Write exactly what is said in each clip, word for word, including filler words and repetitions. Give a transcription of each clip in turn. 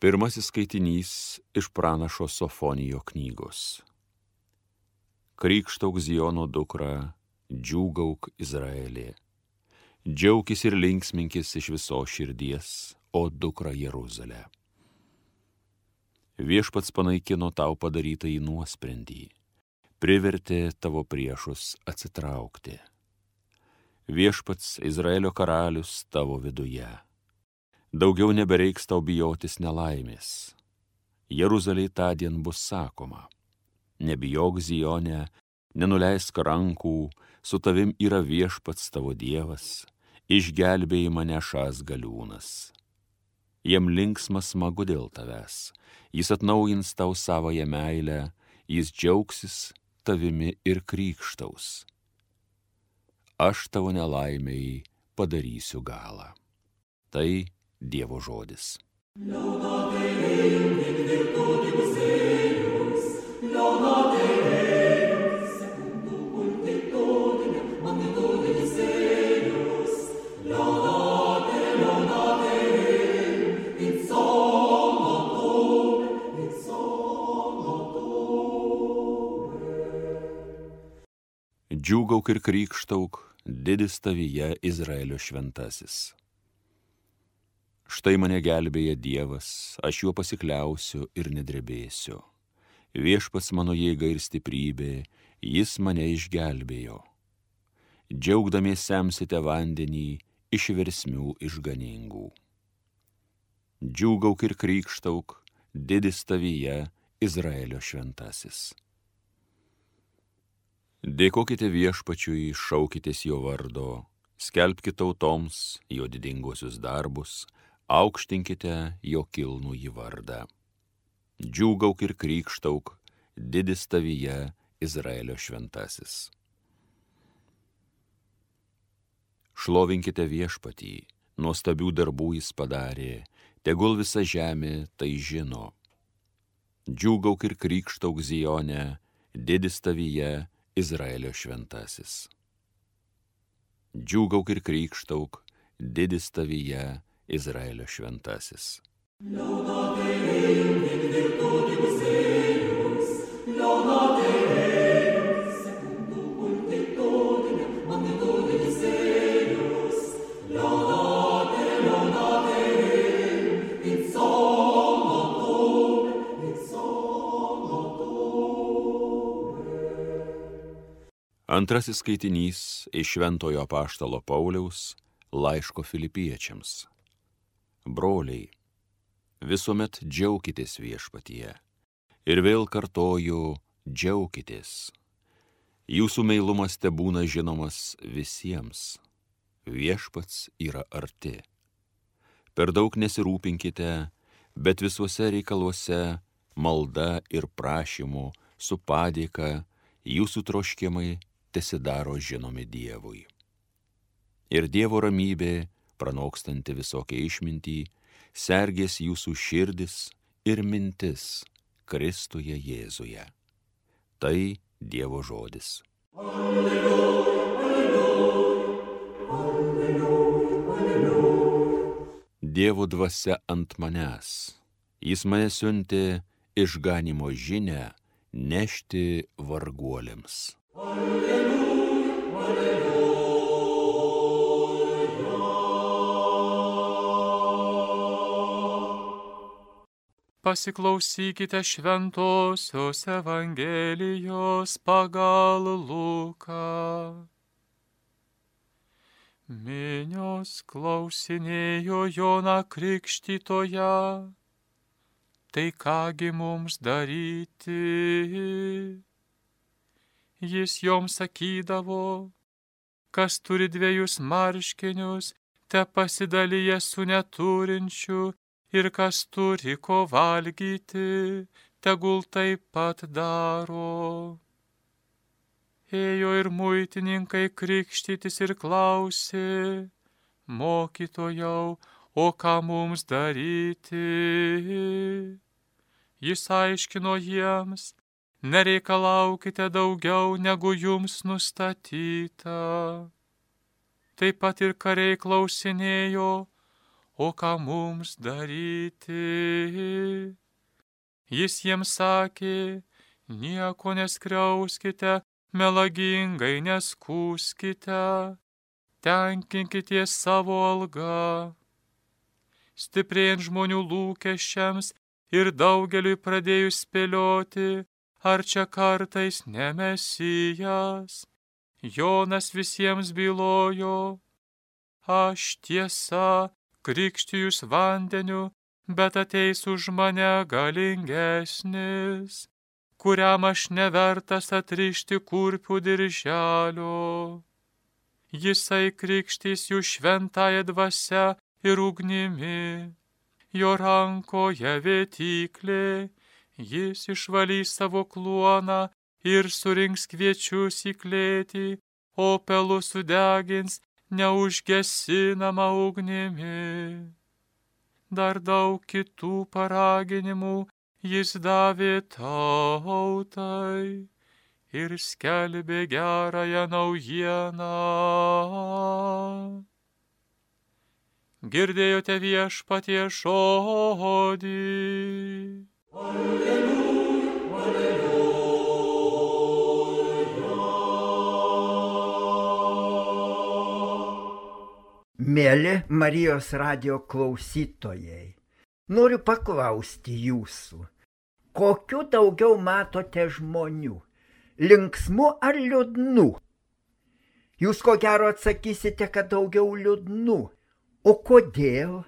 Pirmasis skaitinys iš pranašo Sofonijo knygos. Krykštauk Ziono dukra, džiūgauk Izraelė. Džiaukis ir linksminkis iš visos širdies, o dukra Jeruzalė. Viešpats panaikino tau padarytą į nuosprendį, privertė tavo priešus atsitraukti. Viešpats Izraelio karalius tavo viduje. Daugiau nebereiks tau bijotis nelaimės. Jeruzalei tądien bus sakoma: nebijok Zione, nenuleisk rankų, su tavim yra viešpats tavo Dievas, išgelbėjimą nešąs galiūnas. Jam linksma smagu dėl tavęs, jis atnaujins tau savąją meilę, jis džiaugsis tavimi ir krykštaus. Aš tavo nelaimei padarysiu galą. Tai Dievo žodis. Laudate Deum in virtutibus eius, laudate Deum secundum multitudinem magnitudinis eius, laudate, laudate Deum in sonotone, in sonotone. Džiūgauk ir krykštauk, didis tavyje Izraelio šventasis. Štai mane gelbėja Dievas, aš juo pasikliausiu ir nedrebėsiu. Viešpats mano jėga ir stiprybė, jis mane išgelbėjo. Džiaugdamiesi semsite vandenį iš versmių išganingų. Džiūgauk ir krykštauk, didis tavyje Izraelio šventasis. Dėkokite Viešpačiui, šaukitės jo vardo, skelbkite tautoms jo didinguosius darbus, aukštinkite jo kilnųjį vardą. Džiūgauk ir krykštauk, didis tavyje Izraelio šventasis. Šlovinkite Viešpatį, nuostabių darbų jis padarė, tegul visa žemė tai žino. Džiūgauk ir krykštauk Zione, didis tavyje Izraelio šventasis. Džiūgauk ir krykštauk, didis tavyje Izraelio šventasis. Laudate Deum in virtutibus eius, laudate Deum secundum multitudinem magnitudinis eius, laudate, laudate Deum in sonotone, in sonotone. Antrasis skaitinys iš šventojo apaštalo Pauliaus laiško Filipiečiams. Broliai, visuomet džiaukitės Viešpatyje. Ir vėl kartoju, džiaukitės. Jūsų meilumas tebūna žinomas visiems. Viešpats yra arti. Per daug nesirūpinkite, bet visuose reikaluose malda ir prašymu su padėka jūsų troškimai tesidaro žinomi Dievui. Ir Dievo ramybė, pranokstanti visokią išmintį, sergės jūsų širdis ir mintis Kristuje Jėzuje. Tai Dievo žodis. Alleluja, alleluja, alleluja, alleluja. Dievo dvasia ant manęs. Jis mane siuntė išganimo žinią nešti varguoliams. Alleluja, alleluja. Pasiklausykite šventosios Evangelijos pagal Luką. Minios klausinėjo Joną Krikštytoją, tai kągi mums daryti? Jis joms sakydavo, kas turi dviejus marškinius, te pasidalyja su neturinčiu, ir kas turi ko valgyti, tegul taip pat daro. Ėjo ir muitininkai krikštytis ir klausė, mokytojau, o ką mums daryti? Jis aiškino jiems, nereikalaukite daugiau, negu jums nustatyta. Taip pat ir kariai klausinėjo, o ką mums daryti? Jis jiems sakė, nieko neskriauskite, melagingai neskųskite, tenkinkite savo algą. Stiprėjant žmonių lūkesčiams ir daugeliui pradėjus spėlioti, ar čia kartais ne Mesijas, Jonas visiems bylojo, aš tiesa krikštijus vandeniu, bet ateis už mane galingesnis, kuriam aš nevertas atrišti kurpių dirželio. Jisai krikštys jų šventąją dvasią ir ugnimi, jo rankoje vėtyklė, jis išvalys savo kluoną ir surinks kviečius į klėtį, o pelus sudegins neužgesinama ugnimi. Dar daug kitų paraginimų jis davė tautai ir skelbė gerąją naujieną. Girdėjote viešpaties žodį. Alleluja, alleluja. Mėly Marijos radijo klausytojai, noriu paklausti jūsų, kokiu daugiau matote žmonių, linksmų ar liūdnų? Jūs ko gero atsakysite, kad daugiau liūdnų. O kodėl?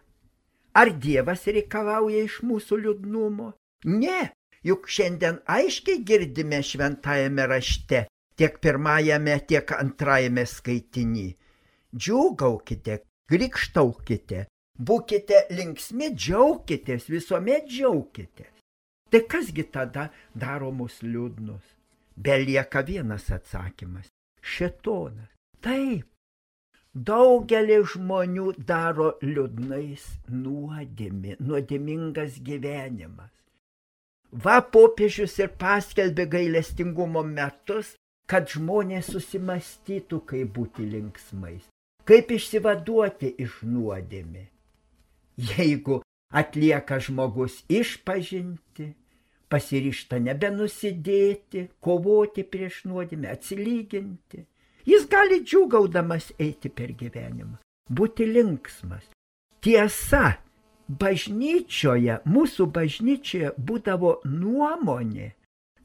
Ar Dievas reikalauja iš mūsų liūdnumo? Ne, juk šiandien aiškiai girdime šventajame rašte, tiek pirmajame, tiek antrajame skaitiny. Džiūgaukite, krikštaukite, būkite linksmi, džiaukitės, visuomet džiaukitės. Tai kasgi tada daro mus liūdnus? Belieka vienas atsakymas – šėtonas. Taip. Daugelį žmonių daro liūdnais nuodėmė, nuodėmingas gyvenimas. Va, popiežius ir paskelbė gailestingumo metus, kad žmonės susimastytų, kaip būti linksmais, kaip išsivaduoti iš nuodėmė. Jeigu atlieka žmogus išpažinti, pasiryžta nebenusidėti, kovoti prieš nuodėmę, atsilyginti, jis gali džiūgaudamas eiti per gyvenimą, būti linksmas. Tiesa, bažnyčioje, mūsų bažnyčioje būdavo nuomonė,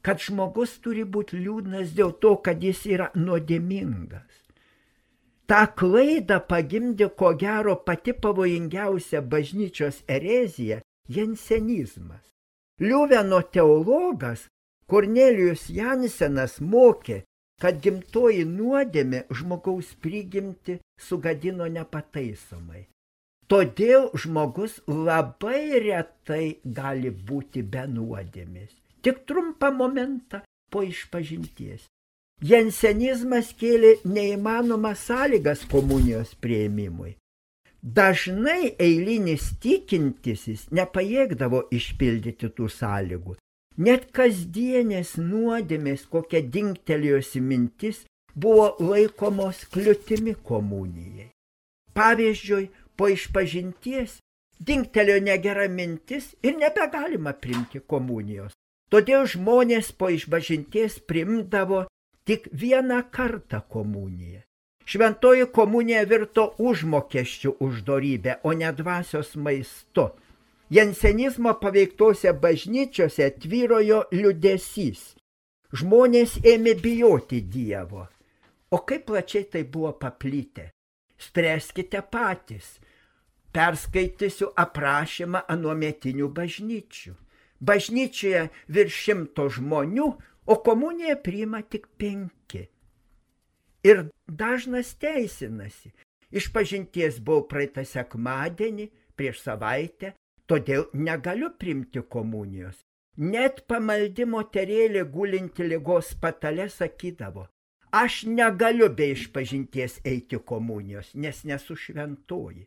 kad žmogus turi būti liūdnas dėl to, kad jis yra nuodėmingas. Ta klaidą pagimdė ko gero pati pavojingiausia bažnyčios erezija – jansenizmas. Liuveno teologas Kornelijus Jansenas mokė, kad gimtoji nuodėmė žmogaus prigimtį sugadino nepataisomai. Todėl žmogus labai retai gali būti be nuodėmės. Tik trumpą momentą po išpažinties. Jansenizmas kėlė neįmanomas sąlygas komunijos priėmimui. Dažnai eilinis tikintysis nepajėgdavo išpildyti tų sąlygų. Net kasdienės nuodėmės, kokia dingtelėjosi mintis, buvo laikomos kliūtimi komunijai. Pavyzdžiui, po išpažinties dingtelėjo negera mintis ir nebegalima priimti komunijos. Todėl žmonės po išpažinties priimdavo tik vieną kartą komuniją. Šventoji komunija virto užmokesčių už dorybę, o ne dvasios maistu. Jansenizmo paveiktose bažnyčiose tvyrojo liūdesys. Žmonės ėmė bijoti Dievo. O kaip plačiai tai buvo paplitę? Spręskite patys. Perskaitysiu aprašymą anuometinių bažnyčių. Bažnyčioje virš šimto žmonių, o komuniją priima tik penki. Ir dažnas teisinasi. Išpažinties buvau praeitą sekmadienį, prieš savaitę, todėl negaliu priimti komunijos. Net pamaldi moterėlė gulinti ligos patale sakydavo, aš negaliu be išpažinties eiti komunijos, nes nesu šventoji.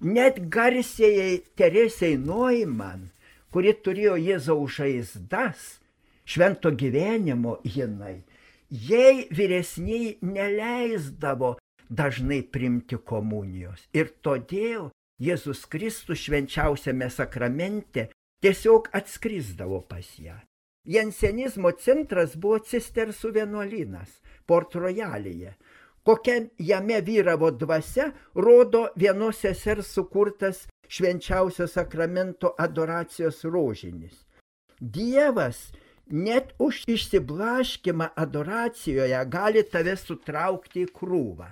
Net garsiai Teresei Neumann, kuri turėjo Jėzaus žaizdas, švento gyvenimo jinai, jai vyresniai neleisdavo dažnai priimti komunijos. Ir todėl Jėzus Kristus švenčiausiame sakramente tiesiog atskrisdavo pas ją. Jansenizmo centras buvo Cistersų vienuolynas Port Royalyje. Kokia jame vyravo dvasia, rodo vienos sesers sukurtas švenčiausio sakramento adoracijos rožinis. Dievas net už išsiblaškimą adoracijoje gali tave sutraukti į krūvą.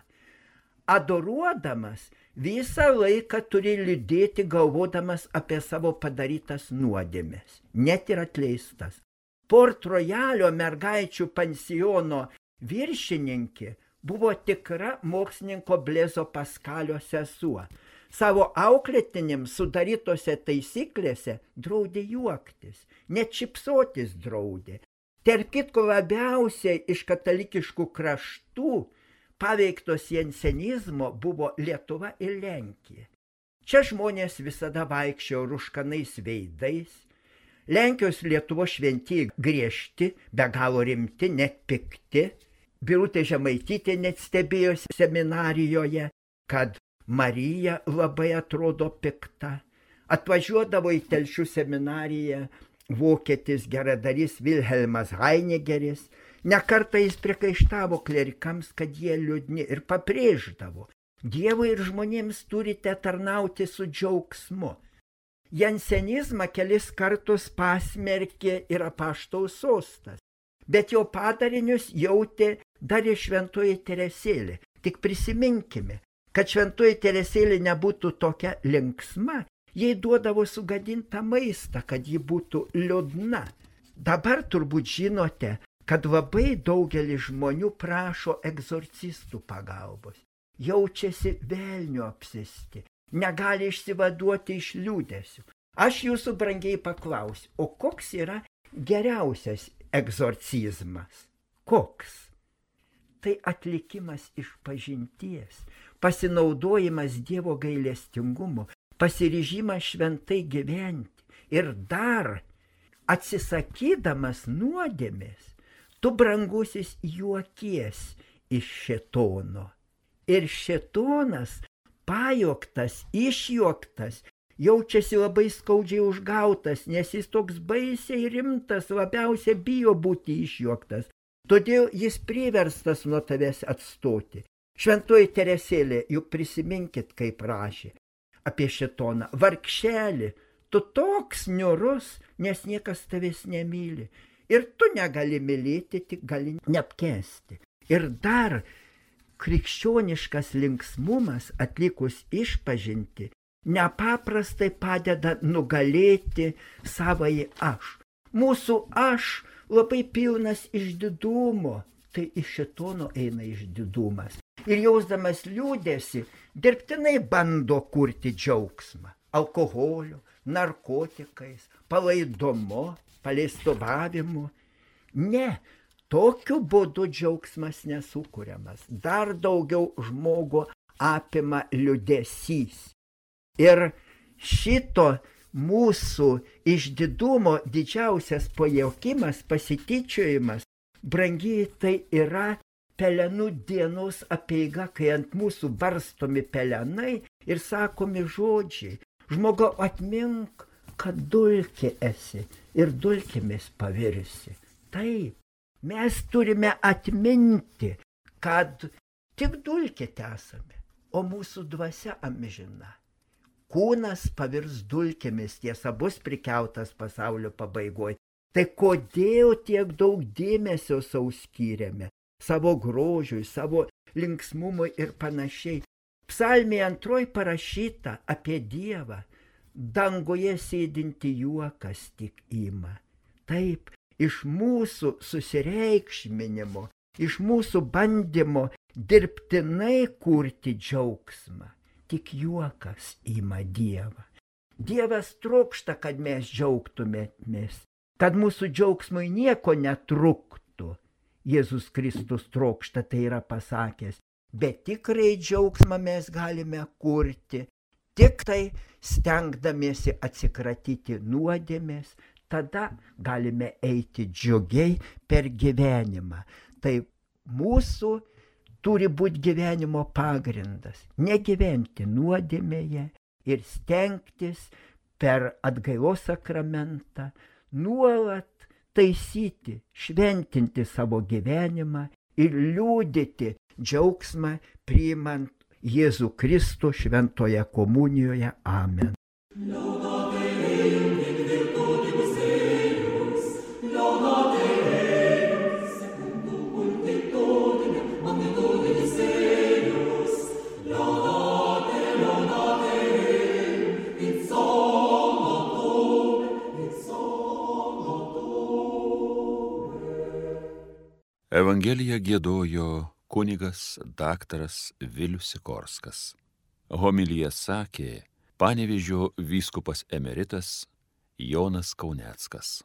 Adoruodamas visą laiką turi liūdėti galvodamas apie savo padarytas nuodėmes, net ir atleistas. Port Royalio mergaičių pansiono viršininkė buvo tikra mokslininko Blezo Paskalio sesuo. Savo auklėtinėms sudarytose taisyklėse draudė juoktis, net šypsotis draudė. Tarp kitko labiausiai iš katalikiškų kraštų paveiktos jansenizmo buvo Lietuva ir Lenkija. Čia žmonės visada vaikščiojo rūškanais veidais. Lenkijos Lietuvos šventieji griežti, be galo rimti, net pikti. Birutė Žemaitytė net stebėjo seminarijoje, kad Marija labai atrodo pikta. Atvažiuodavo į Telšių seminariją vokietis geradarys Vilhelmas Heinegeris. Nekartą jis priekaištavo klerikams, kad jie liūdni, ir pabrėždavo: Dievui ir žmonėms turite tarnauti su džiaugsmu. Jansenizmą kelis kartus pasmerkė ir apaštaus sostas, bet jo padarinius jautė dar ir šventoji Teresėlė. Tik prisiminkime, kad šventoji Teresėlė nebūtų tokia linksma, jai duodavo sugadintą maistą, kad ji būtų liūdna. Dabar turbūt žinote, kad labai daugelis žmonių prašo egzorcistų pagalbos. Jaučiasi velnio apsėsti, negali išsivaduoti iš liūdesių. Aš jūsų brangiai paklausiu, o koks yra geriausias egzorcizmas? Koks? Tai atlikimas iš pažinties, pasinaudojimas Dievo gailestingumu, pasiryžimas šventai gyventi ir dar atsisakydamas nuodėmės, tu, brangusis, juokies iš šėtono. Ir šėtonas, pajoktas, išjuoktas, jaučiasi labai skaudžiai užgautas, nes jis toks baisiai rimtas, labiausiai bijo būti išjuoktas. Todėl jis priverstas nuo tavęs atstoti. Šventoji Teresėlė, juk prisiminkit, kaip rašė apie šėtoną: vargšelį, tu toks niūrus, nes niekas tavęs nemyli. Ir tu negali mylėti, tik gali neapkęsti. Ir dar krikščioniškas linksmumas atlikus išpažinti nepaprastai padeda nugalėti savąjį aš. Mūsų aš labai pilnas išdidumo, tai iš šėtono eina išdidumas. Ir jausdamas liūdesį, dirbtinai bando kurti džiaugsmą alkoholiu, narkotikais, palaidumu, paleistuvavimu. Ne, tokiu būdu džiaugsmas nesukuriamas. Dar daugiau žmogų apima liūdesys. Ir šito mūsų išdidumo didžiausias pajaukimas, pasityčiojimas, brangiai, tai yra pelenų dienos apeiga, kai ant mūsų barstomi pelenai ir sakomi žodžiai: žmogau, atmink, kad dulkė esi ir dulkėmis pavirsi. Taip, mes turime atminti, kad tik dulkė esame, o mūsų dvasia amžina. Kūnas pavirs dulkėmis, tiesa, bus prikeltas pasaulio pabaigoje. Tai kodėl tiek daug dėmesio sau skyrėme? Savo grožiui, savo linksmumui ir panašiai. Psalmėje antroji parašyta apie Dievą: danguje sėdinti juokas tik ima. Taip, iš mūsų susireikšminimo, iš mūsų bandymo dirbtinai kurti džiaugsmą, tik juokas ima Dievą. Dievas trokšta, kad mes džiaugtumėmės, kad mūsų džiaugsmui nieko netruktų. Jėzus Kristus trokšta, tai yra pasakęs, bet tikrai džiaugsmą mes galime kurti tik tai stengdamiesi atsikratyti nuodėmės, tada galime eiti džiugiai per gyvenimą. Tai mūsų turi būti gyvenimo pagrindas, negyventi nuodėmėje, ir stengtis per atgailos sakramentą nuolat taisyti, šventinti savo gyvenimą ir liūdyti džiaugsmą priimant Jėzų Kristų šventoje komunijoje. Amen. Evangeliją giedojo kunigas daktaras Vilius Sikorskas. Homiliją sakė Panevėžio vyskupas emeritas Jonas Kauneckas.